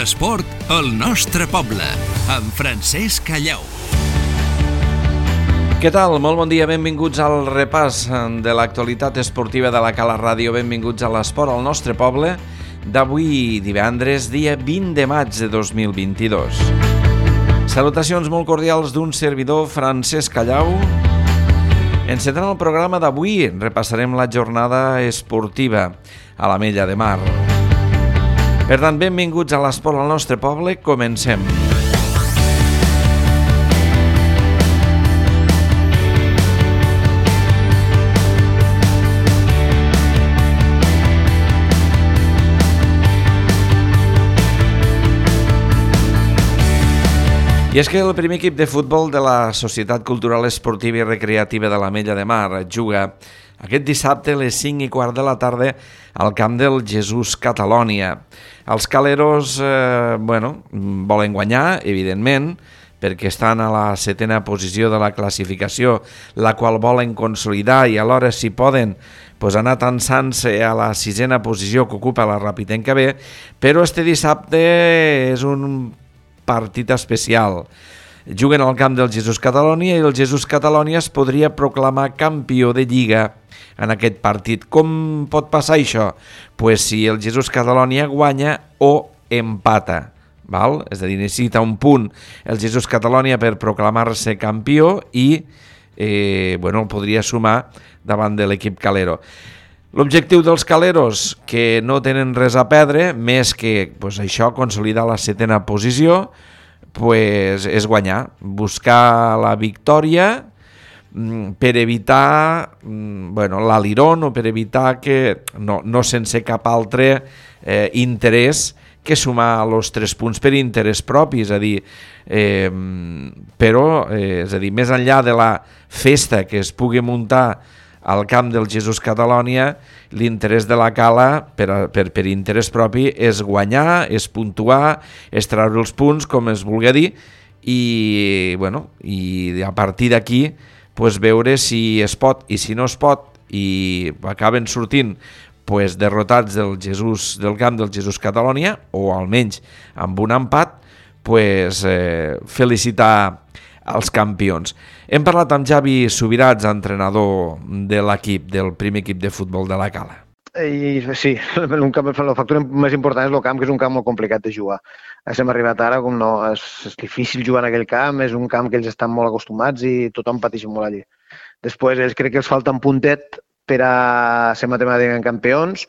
L'esport al nostre poble, amb Francesc Callau. Què tal? Molt bon dia, benvinguts al repàs de l'actualitat esportiva de la Cala Ràdio. Benvinguts a l'esport al nostre poble d'avui divendres, dia 20 de maig de 2022. Salutacions molt cordials d'un servidor, Francesc Callau. Encetant el programa d'avui, repassarem la jornada esportiva a l'Ametlla de Mar. Per tant, benvinguts a l'esport al nostre poble. Comencem. I és que el primer equip de futbol de la Societat Cultural Esportiva i Recreativa de l'Ametlla de Mar juga aquest dissabte a les 5:15 de la tarda al camp del Jesús Catalònia. Els caleros volen guanyar, evidentment, perquè estan a la 7a posició de la classificació, la qual volen consolidar i alhora, si poden, anar tensant-se a la 6a posició que ocupa la Rapitenca B, però este dissabte és un partit especial. Juguen al camp del Jesús Catalònia i el Jesús Catalònia es podria proclamar campió de Lliga en aquest partit. Com pot passar això? Pues si el Jesús Catalònia guanya o empata, val? És a dir, necessita un punt el Jesús Catalònia per proclamar-se campió i podria sumar davant de l'equip calero. L'objectiu dels caleros, que no tenen res a perdre, més que això, consolidar la 7a posició, és guanyar, buscar la victòria per evitar l'alirón o per evitar que, no sense cap altre interès que sumar els 3 punts per interès propi, és a dir, més enllà de la festa que es pugui muntar al camp del Jesús Catalònia, l'interès de la Cala per interès propi és guanyar, és puntuar, és treure els punts, com es vulgui dir, i a partir d'aquí veure si es pot i si no es pot, i acaben sortint derrotats del camp del Jesús Catalònia, o almenys amb un empat, felicitar els campions. Hem parlat amb Javi Subirats, entrenador de l'equip, del primer equip de futbol de la Cala. Sí, la factura més important és el camp, que és un camp molt complicat de jugar. Hem arribat ara, com no, és difícil jugar en aquell camp, és un camp que ells estan molt acostumats i tothom pateix molt allí. Després, ells crec que els falta un puntet per a ser matemàticament campions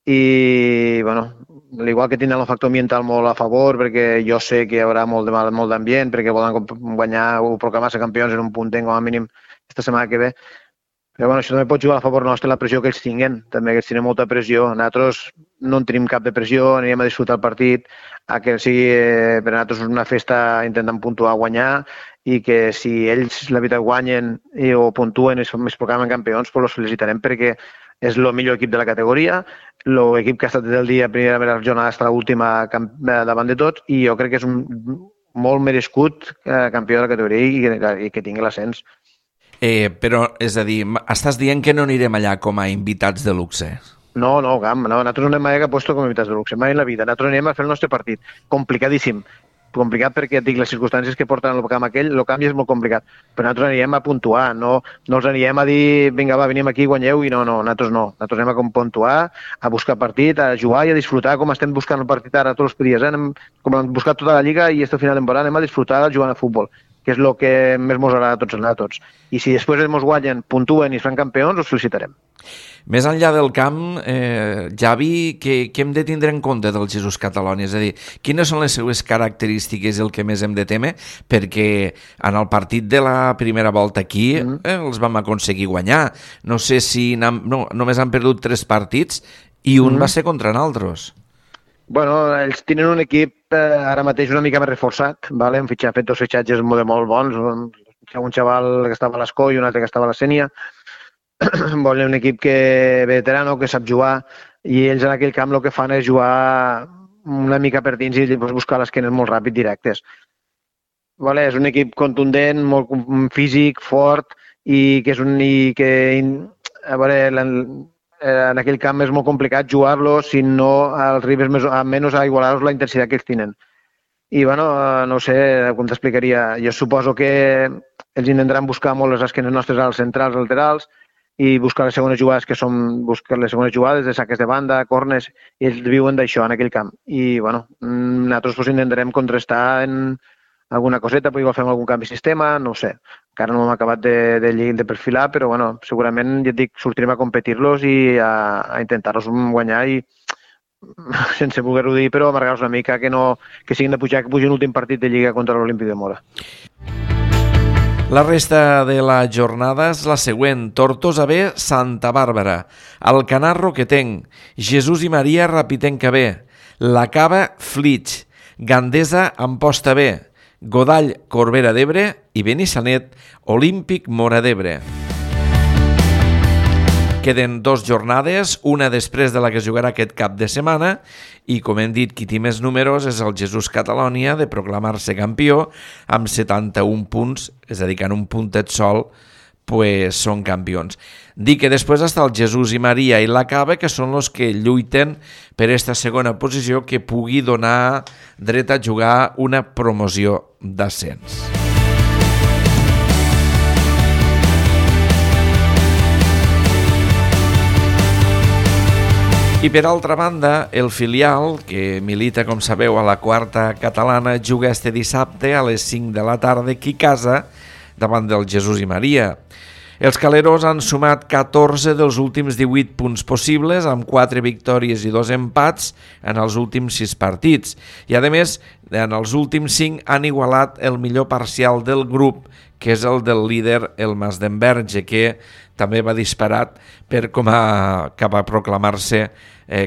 i, igual que tenen el factor ambiental molt a favor, perquè jo sé que hi haurà molt d'ambient, perquè volen guanyar o proclamar-se campions en un puntet com a mínim aquesta setmana que ve. Però això també pot jugar a favor nostre la pressió que ells tinguen, també que ells tenen molta pressió. Nosaltres no en tenim cap de pressió, anirem a disfrutar el partit, que sigui per a nosaltres una festa intentant puntuar, guanyar, i que si ells la veritat guanyen o puntuen i es proclamen campions, els felicitarem perquè és el millor equip de la categoria, l'equip que ha estat des del dia primera jornada fins a l'última davant de tots, i jo crec que és un molt merescut campió de la categoria i que tingui l'ascens. Però, és a dir, estàs dient que no anirem allà com a invitats de luxe? No, nosaltres no anem a puesto com a invitats de luxe, mai en la vida. Nosaltres anem a fer el nostre partit. Complicadíssim. Complicat perquè et dic, les circumstàncies que porten al camp aquell, el canvi és molt complicat. Però nosaltres anirem a puntuar, no els anirem a dir, vinga, va, venim aquí, guanyeu, i nosaltres no. Nosaltres anem a puntuar, a buscar partit, a jugar i a disfrutar, com estem buscant el partit ara tots els dies. Com hem buscat tota la Lliga i este final de temporada, anem a disfrutar jugant a futbol, que és el que més ens agrada a tots. I si després ens guanyen, puntuen i es fan campions, els felicitarem. Més enllà del camp, Javi, què hem de tindre en compte del Jesús Catalònia? És a dir, quines són les seues característiques el que més hem de temer? Perquè en el partit de la primera volta aquí els vam aconseguir guanyar. No sé si només han perdut 3 partits i un va ser contra nosaltres. Ells tenen un equip ara mateix una mica més reforçat, hem fet 2 fitxatges molt bons, un xaval que estava a l'Escó i un altre que estava a la Sénia. Volen un equip veterano, que sap jugar, i ells en aquell camp el que fan és jugar una mica per dins i buscar les esquenes molt ràpid, directes. És un equip contundent, molt físic, fort, i que és en aquell camp és molt complicat jugar-lo si no els rivals menys a igualar-los la intensitat que ells tenen. I, bueno, no sé com t'explicaria. Jo suposo que ells intentaran buscar molt les esquenes nostres als centrals, laterals, i buscar les segones jugades, que són buscar les segones jugades de saques de banda, corners, i ells viuen d'això en aquell camp. I, bueno, nosaltres pues, intentarem contrastar en alguna coseta, però igual fem algun canvi de sistema, no ho sé. Encara no hem acabat de perfilar, però bueno, segurament, ja et dic, sortirem a competir-los i a intentar-los guanyar i sense voler-ho dir, però amargar-los una mica que siguin de pujar, que pugin l'últim partit de Lliga contra l'Olímpic de Mora. La resta de la jornada és la següent. Tortosa B, Santa Bàrbara. Alcanar, Roquetenc. Jesús i Maria, Rapitenca B. La Cava, Flix. Gandesa, Amposta B. Godall, Corbera d'Ebre i Benissanet, Olímpic Mora d'Ebre. Queden 2 jornades, una després de la que es jugarà aquest cap de setmana i, com hem dit, qui té més números és el Jesús Catalònia de proclamar-se campió amb 71 punts, és a dir, que en un puntet sol pues, són campions. Dic que després està el Jesús i Maria i la Cava, que són els que lluiten per aquesta segona posició que pugui donar dret a jugar una promoció d'ascens. I per altra banda, el filial, que milita, com sabeu, a la quarta catalana, juga este dissabte a les 5 de la tarda aquí a casa davant del Jesús i Maria. Els caleros han sumat 14 dels últims 18 punts possibles, amb 4 victòries i 2 empats en els últims 6 partits. I, a més, en els últims 5 han igualat el millor parcial del grup, que és el del líder, el Mas d'Enverge, que també va disparat cap a proclamar-se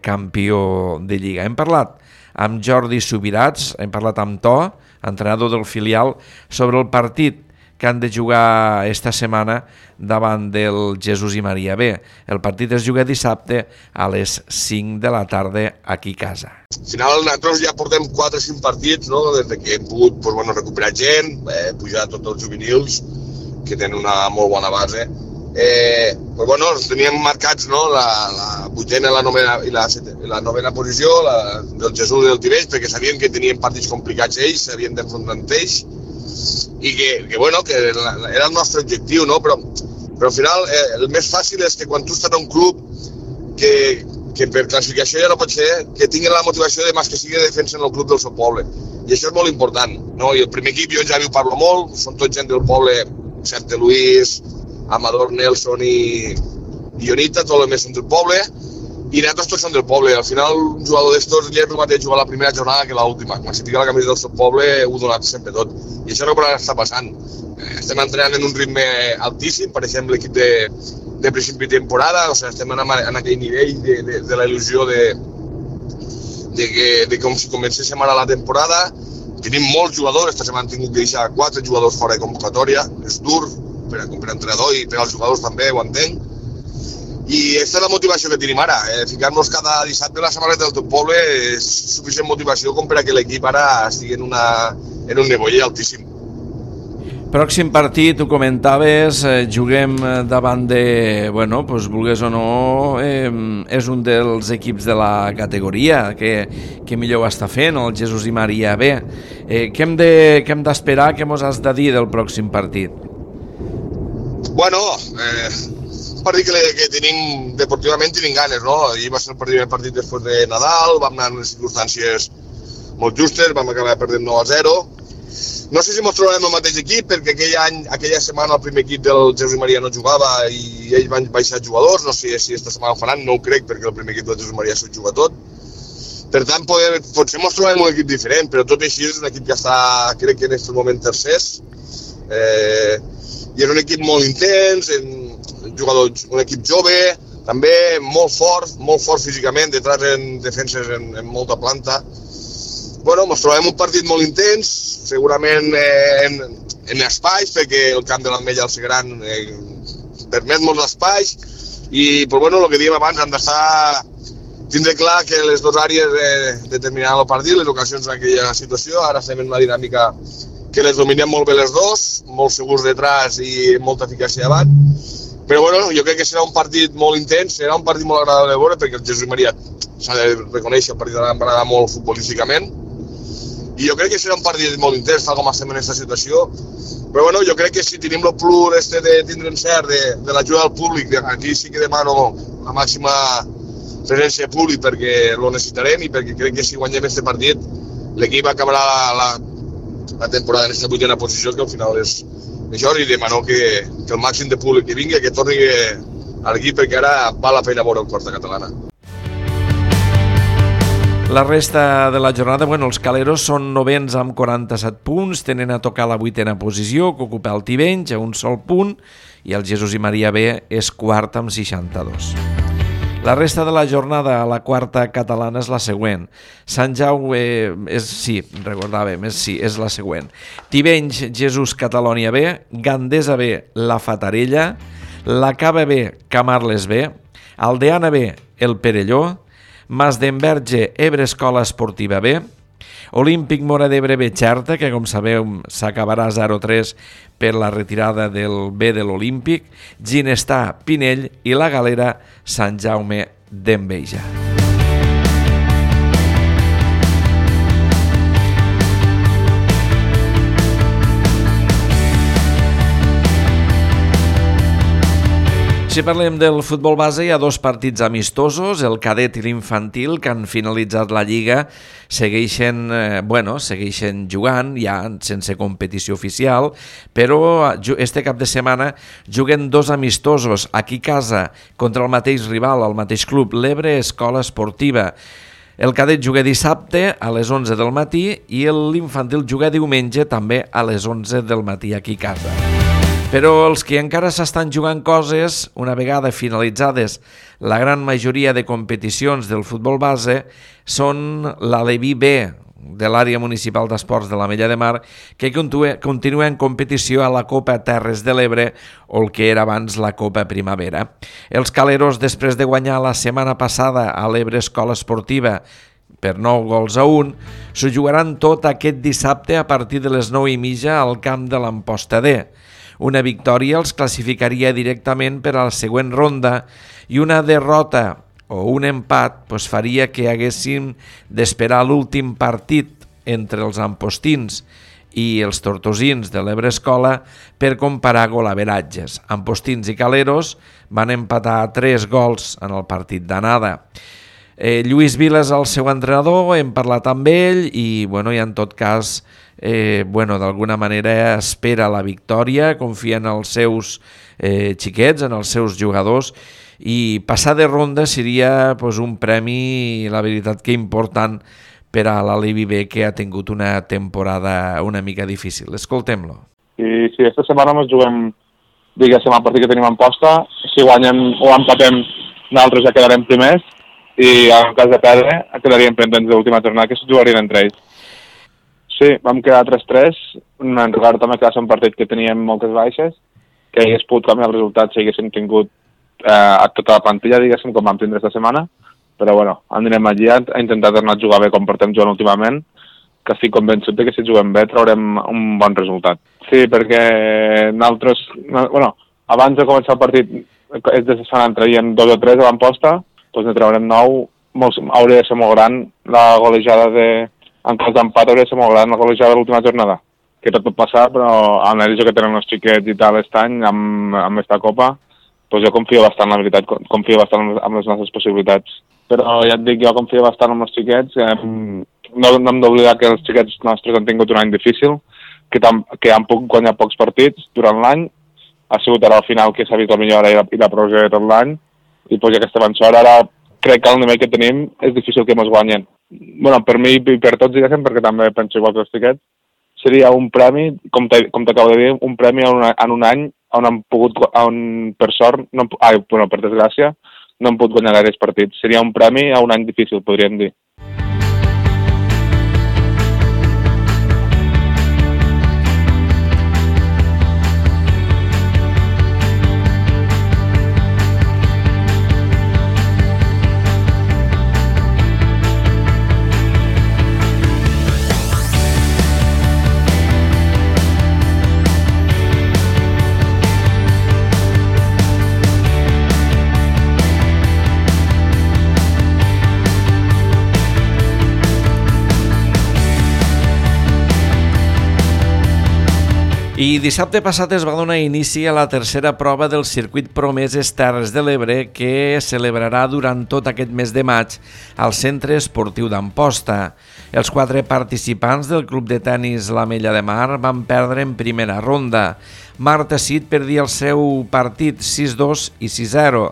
campió de Lliga. Hem parlat amb Jordi Subirats, hem parlat amb To, entrenador del filial, sobre el partit que han de jugar esta setmana davant del Jesús i Maria B. El partit es juga dissabte a les 5 de la tarda aquí a casa. Al final nosaltres ja portem 4 o 5 partits, no? Des que hem pogut recuperar gent, pujar tots els juvenils, que tenen una molt bona base. Teníem marcats, no? La vuitena, la novena i la novena posició del Jesús i del Tibeix, perquè sabien que tenien partits complicats ells, s'havien d'enfrontar amb ells, i que era el nostre objectiu, no? Però al final el més fàcil és que quan tu estàs en un club que per classificació ja no pot ser, que tinguin la motivació de més que sigui de defensa en el club del seu poble. I això és molt important, no? I el primer equip jo ja ho parlo molt, són tots gent del poble, excepte Luis, Amador, Nelson i Ionita, tot el més són del poble, i nosaltres tots som del poble. Al final, un jugador d'estos ja és el mateix jugar la primera jornada que l'última. Quan se fica la camisa del seu poble, ho donat sempre tot. I això és el que està passant. Estem entrenant en un ritme altíssim, per exemple, l'equip de principi de temporada, o sigui, estem en aquell nivell de la il·lusió de com si comencéssim ara la temporada. Tenim molts jugadors, esta setmana hem tingut que deixar 4 jugadors fora de convocatòria, és dur per entrenador i per als jugadors també, ho entenc. I aquesta és la motivació que tenim ara, ficar-nos cada dissabte a la samarreta del teu poble és suficient motivació com per a que l'equip ara estigui en un nivell altíssim. Pròxim partit, ho comentaves, juguem davant de, vulgués o no, és un dels equips de la categoria que millor ho està fent, el Jesús i Maria B. Què hem d'esperar, què mos has de dir del pròxim partit? Per dir que tenim, deportivament tenim ganes, no? Ahir va ser el primer partit després de Nadal, vam anar en les circumstàncies molt justes, vam acabar perdent 9-0. No sé si ens trobarem el mateix equip, perquè aquella setmana el primer equip del Jesús i Maria no jugava i ells van baixar jugadors, no sé si aquesta setmana ho faran, no ho crec, perquè el primer equip del Jesús i Maria s'ho juga tot. Per tant, potser ens trobarem un equip diferent, però tot i així és un equip que està, crec que en aquest moment tercers, i és un equip molt intens, un equip jove, també molt fort físicament, detrás en defenses en molta planta. Ens trobem un partit molt intens, segurament en espais, perquè el camp de l'Ametlla al Segran permet molts espais, i el que dèiem abans, hem d'estar tindre clar que les dues àrees determinaran el partit, les ocasions en aquella situació. Ara estem en una dinàmica que les dominem molt bé les dos, molt segurs detrás i molta eficàcia davant. Però bueno, jo crec que serà un partit molt intens, serà un partit molt agradable de veure, perquè el Jesús Maria s'ha de reconèixer, el partit va agradar molt futbolísticament, i jo crec que serà un partit molt intens, tal com estem en aquesta situació, però bueno, jo crec que si tenim el plus de tindre encert de l'ajuda del públic, aquí sí que demano la màxima presència de públic perquè lo necessitarem i perquè crec que si guanyem aquest partit l'equip acabarà la temporada en aquesta 8ª posició, que al final és això, i demano que el màxim de públic que vingui, que torni a l'equip, perquè ara val la pena veure el Quarta Catalana. La resta de la jornada, els caleros són novens amb 47 punts, tenen a tocar la 8ª posició, que ocupa el Tivenys, a un sol punt, i el Jesús i Maria B és quart amb 62. La resta de la jornada a la Quarta Catalana és la següent. Sant Jaume és la següent. Tivenys, Jesús Catalònia B, Gandesa B, La Fatarella, la Cava B, Camarles B, Aldeana B, el Perelló, Masdenverge, Ebre Escola Esportiva B, Olímpic Móra d'Ebre B, Xerta, que com sabeu s'acabarà 0-3 per la retirada del B de l'Olímpic, Ginestà, Pinell i la Galera, Sant Jaume d'Enveja. Si parlem del futbol base, hi ha 2 partits amistosos, el cadet i l'infantil, que han finalitzat la Lliga, segueixen jugant, ja sense competició oficial, però este cap de setmana juguen 2 amistosos aquí a casa contra el mateix rival, el mateix club, l'Ebre Escola Esportiva. El cadet juga dissabte a les 11 del matí i l'infantil juga diumenge també a les 11 del matí aquí a casa. Però els que encara s'estan jugant coses, una vegada finalitzades la gran majoria de competicions del futbol base, són l'Aleví B de l'àrea municipal d'esports de l'Ametlla de Mar, que continua en competició a la Copa Terres de l'Ebre, o el que era abans la Copa Primavera. Els caleros, després de guanyar la setmana passada a l'Ebre Escola Esportiva per 9-1, s'ho jugaran tot aquest dissabte a partir de les 9:30 al camp de l'Amposta D. Una victòria els classificaria directament per a la següent ronda i una derrota o un empat faria que haguéssim d'esperar l'últim partit entre els ampostins i els tortosins de l'Ebre Escola per comparar golaveratges. Ampostins i caleros van empatar a 3 gols en el partit d'anada. Lluís Vila és el seu entrenador, hem parlat amb ell i en tot cas d'alguna manera espera la victòria, confia en els seus xiquets, en els seus jugadors, i passar de ronda seria un premi, la veritat que important, per a l'Aleví B, que ha tingut una temporada una mica difícil. Escoltem-lo. I si aquesta setmana ens juguem, diguéssim, el partit que tenim en posta, si guanyem o empatem, nosaltres ja quedarem primers, i en cas de perdre quedaríem pendents de l'última jornada, que es jugarien entre ells. Sí, vam quedar 3-3, en regard també que va ser un partit que teníem moltes baixes, que hagués pogut canviar el resultat si haguéssim tingut a tota la plantilla, diguéssim, com vam tindre aquesta setmana, però anirem allí a intentar tornar a jugar bé com portem jugant últimament, que estic convençut que si juguem bé traurem un bon resultat. Sí, perquè nosaltres, abans de començar el partit, és de setmana en traiem 2 o 3 a l'Amposta, doncs ne traurem 9, hauria de ser molt gran la golejada en cas d'empat hauria de ser molt gran la golejada de l'última jornada, que tot pot passar, però amb l'analització que tenen els xiquets i tal aquest any, amb aquesta copa, doncs jo confio bastant, la veritat, confio bastant en les nostres possibilitats. Però ja et dic, jo confio bastant en els xiquets, no hem d'oblidar que els xiquets nostres han tingut un any difícil, que han pogut guanyar pocs partits durant l'any, ha sigut ara al final que s'ha vist la millora i la progressió de tot l'any, i doncs aquesta avançada ara crec que el nivell que tenim és difícil que ens guanyen. Per mi i per tots, diguéssim, perquè també penso igual que els xiquets, seria un premi, com t'acabo de dir, un premi en un any on per sort, per desgràcia, no hem pogut guanyar gaires partits. Seria un premi a un any difícil, podríem dir. I dissabte passat es va donar inici a la tercera prova del circuit Promeses Terres de l'Ebre, que es celebrarà durant tot aquest mes de maig al Centre Esportiu d'Amposta. Els 4 participants del club de tenis l'Ametlla de Mar van perdre en primera ronda. Marta Cid perdia el seu partit 6-2 i 6-0.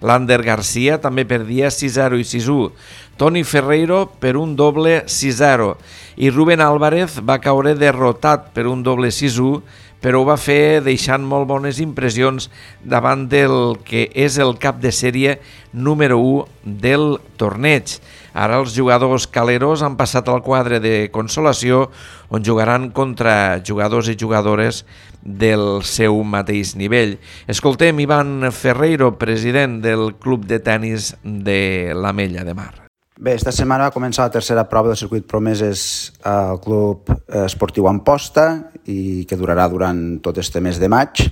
Lander Garcia també perdia 6-0 i 6-1. Toni Ferreiro per un doble 6-0 i Rubén Álvarez va caure derrotat per un doble 6-1, però ho va fer deixant molt bones impressions davant del que és el cap de sèrie número 1 del torneig. Ara els jugadors caleros han passat al quadre de consolació, on jugaran contra jugadors i jugadores del seu mateix nivell. Escoltem Ivan Ferreiro, president del club de tenis de l'Ametlla de Mar. Bé, esta setmana va començar la tercera prova del circuit Promeses al club esportiu Amposta i que durarà durant tot este mes de maig.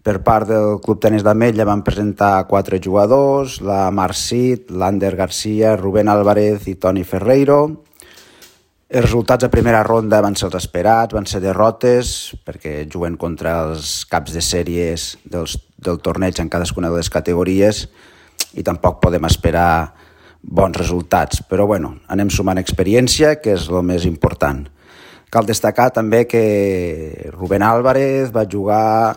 Per part del club tenis d'Ametlla van presentar 4 jugadors, la Mar Cid, l'Ander Garcia, Rubén Álvarez i Toni Ferreiro. Els resultats de primera ronda van ser els esperats, van ser derrotes, perquè juguen contra els caps de sèries del torneig en cadascuna de les categories i tampoc podem esperar bons resultats, però bueno, anem sumant experiència, que és el més important. Cal destacar també que Rubén Álvarez va jugar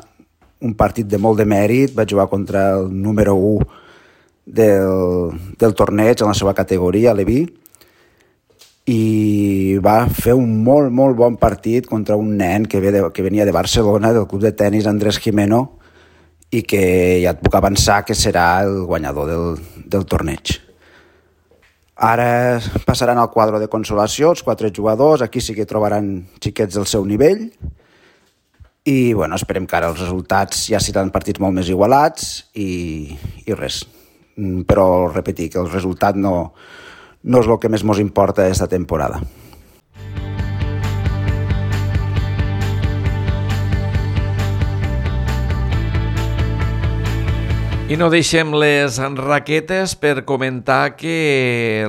un partit de molt de mèrit, va jugar contra el número 1 del torneig en la seva categoria, l'Eví, i va fer un molt, molt bon partit contra un nen que venia de Barcelona, del club de tenis Andrés Jimeno, i que ja et puc avançar que serà el guanyador del torneig. Ara passaran al quadre de consolació, els 4 jugadors, aquí sí que trobaran xiquets del seu nivell i bueno, esperem que ara els resultats ja seran partits molt més igualats i res. Però repetir que el resultat no és el que més ens importa aquesta temporada. I no deixem les raquetes per comentar que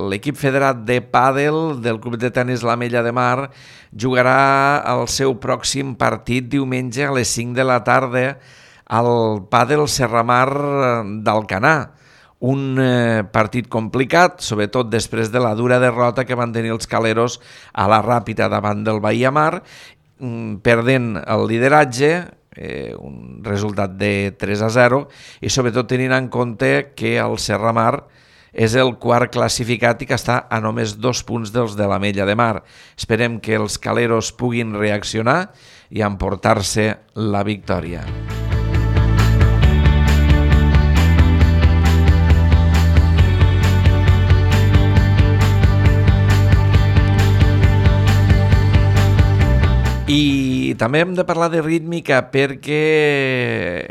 l'equip federat de pàdel del club de tenis l'Ametlla de Mar jugarà el seu pròxim partit diumenge a les 5 de la tarda al pàdel Serramar d'Alcanar. Un partit complicat, sobretot després de la dura derrota que van tenir els caleros a la Ràpita davant del Bahia Mar, perdent el lideratge, un resultat de 3-0 i sobretot tenint en compte que el Serramar és el quart classificat i que està a només 2 punts dels de l'Ametlla de Mar. Esperem que els caleros puguin reaccionar i emportar-se la victòria. I també hem de parlar de rítmica perquè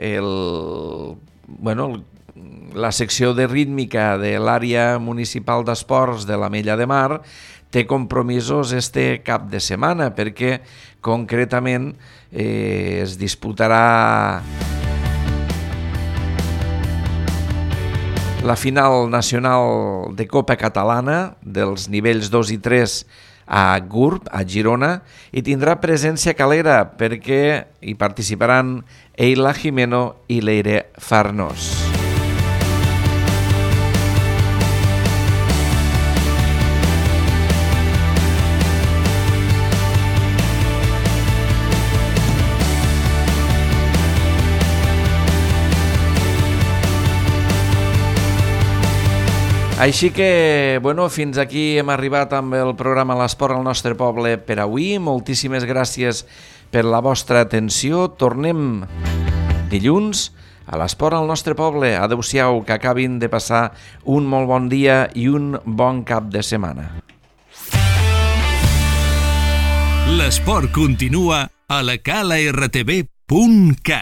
la secció de rítmica de l'àrea municipal d'esports de l'Ametlla de Mar té compromisos este cap de setmana perquè concretament es disputarà la final nacional de Copa Catalana dels nivells 2 i 3 a Gurb, a Girona, i tindrà presència calera perquè hi participaran Eila Jimeno i Leire Farnós. Així que, fins aquí hem arribat amb el programa L'Esport al nostre poble per avui. Moltíssimes gràcies per la vostra atenció. Tornem dilluns a l'Esport al nostre poble. Adéu-siau, que acabin de passar un molt bon dia i un bon cap de setmana. L'esport continua a la calartv.cat.